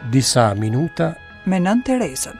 Disa minuta me Nënë Terezën.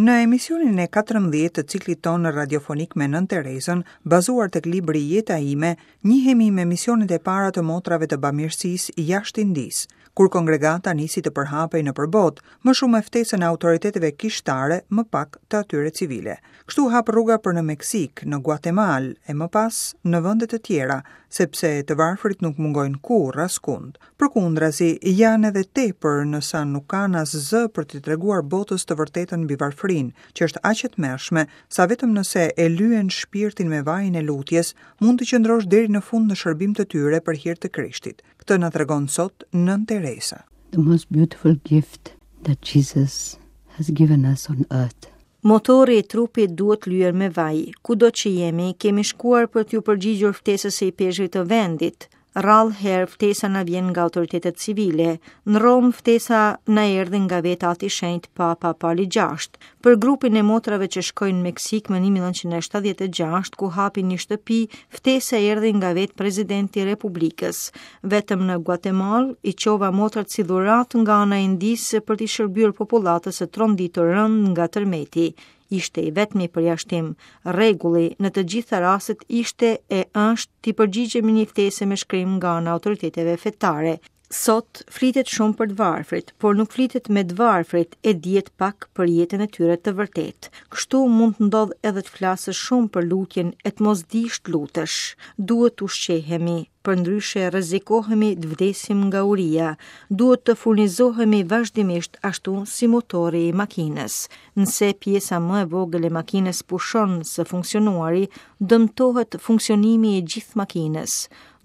Në emisionin e 14 të ciklit tonë radiofonik me Nënë Terezën, bazuar tek libri Jeta ime, njihemi me misionet e para të motrave të bamirësisë jashtë Indisë, kur kongregata nisi të përhapej nëpër botë, më shumë me ftesën e autoriteteve kishtare, më pak të atyre civile. Kështu u hap rruga për në Meksikë, në Guatemalë e më pas në vende të tjera, sepse të varfrit nuk mungojnë kurrë askund. Përkundrazi, janë edhe tepër në sa nuk kanë as zë për t'i treguar botës të vërtetën mbi varfërinë, që është aq e tmerrshme, sa vetëm nëse e lyen shpirtin me vajin e lutjes, mund të qëndrosh deri në fund në shërbim të tyre për hir të Krishtit. Këtë na tregon sot Nënë Teresa. The most beautiful gift that Jesus has given us on earth. Motori i trupit duhet lyer me vaj. Kudo që jemi, kemi shkuar për t'iu përgjigjur ftesës së ipeshkvit të vendit. Rrallë herë ftesa na vjen nga autoritetet civile. Në Romë ftesa na erdhi nga vetë Ati i Shenjtë Papa Pali VI. Për grupin e motrave që shkoi në Meksikë më 1976, ku hapi një shtëpi, ftesa erdhi nga vetë presidenti i Republikës. Vetëm në Guatemalë i çova motrat si dhuratë nga ana e Indisë për t'i shërbyer popullatës së tronditur rëndë nga tërmeti. Ishte i vetmi përjashtim. Rregulli në të gjitha rastet ishte e është t'i përgjigjemi një ftese me shkrim nga ana e autoriteteve fetare. Sot flitet shumë për të varfrit, por nuk flitet me të varfrit e dihet pak për jetën e tyre të vërtetë. Kështu mund të ndodhë edhe të flasësh shumë për lutjen e të mos dish të lutesh. Duhet të ushqehemi, përndryshe rrezikohemi të vdesim nga uria. Duhet të furnizohemi vazhdimisht ashtu si motori i makinës. Nëse pjesa më e vogël e makinës pushon së funksionuari, dëmtohet funksionimi i gjithë makinës.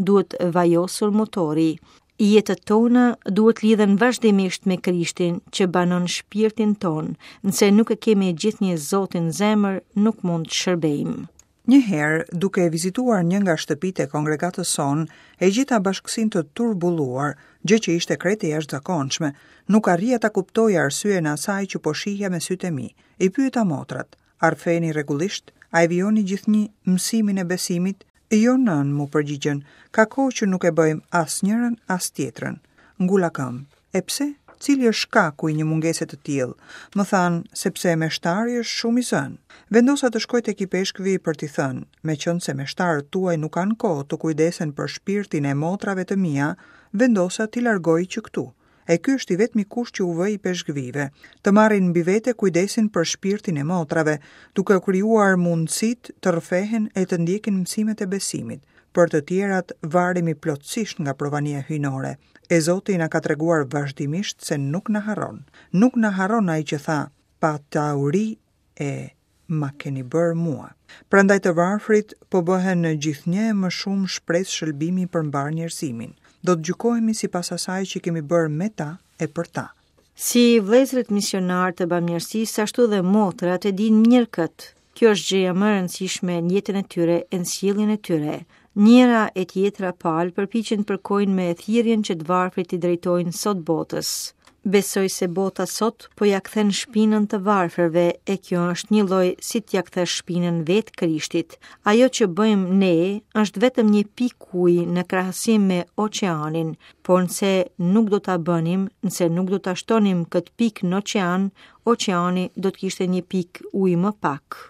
Duhet vajosur motori. Jetët tona duhet lidhen vazhdimisht me Krishtin që banon shpirtin tonë. Nëse nuk e kemi gjithnjë Zotin në zemër, nuk mund të shërbejmë. Një herë, duke vizituar një nga shtëpitë e kongregatës sonë, e gjeta bashkësinë të turbulluar, gjë që ishte krejt e jashtëzakonshme. Nuk arrija ta kuptoja arsyen e asaj që po shihja me sytë e mi. I pyeta motrat, A rrëfeheni rregullisht? A e vijoni gjithnjë mësimin e besimit? Jo, nënë, m'u përgjigjën, ka kohë që nuk e bëjmë as njërën, as tjetrën. Ngula këmbë. E pse? Cili është shkaku i një mungese të tillë? Më thanë, sepse meshtari është shumë i zënë. Vendosa të shkoj tek ipeshkvi për t'i thënë, meqenëse meshtarët tuaj nuk kanë kohë të kujdesen për shpirtin e motrave të mia, vendosa t'i largoj që këtu. E ky është i vetmi kusht që u vë ipeshkvijve, të marrin mbi vete kujdesin për shpirtin e motrave, duke u krijuar mundësitë të rrëfehen e të ndjekin mësimet e besimit. Për të tjerat varemi plotësisht nga provania hyjnore. E Zoti na ka treguar vazhdimisht se nuk na harron. Nuk na harron ai që tha, pata uri e ma keni bërë mua. Prandaj të varfrit po bëhen gjithnjë e më shumë shpresë shëlbimi për mbarë njerëzimin. Do të gjykohemi sipas asaj që kemi bërë me ta e për ta. Si vëllezërit misionarë të bamirësisë, ashtu dhe motrat e dinë mirë këtë. Kjo është gjëja më e rëndësishme në jetën e tyre e në sjelljen e tyre. Njëra e tjetra palë përpiqen të përkojnë me thirrjen që të varfrit i drejtojnë sot botës. Besoj se bota sot po ia kthen shpinën të varfërve e kjo është njëlloj si t'ia kthesh shpinën vetë Krishtit. Ajo që bëjmë ne është vetëm një pikë uji në krahasim me oqeanin, por nëse nuk do ta bënim, nëse nuk do ta shtonim këtë pikë në oqean, oqeani do të kishte një pikë ujë më pak.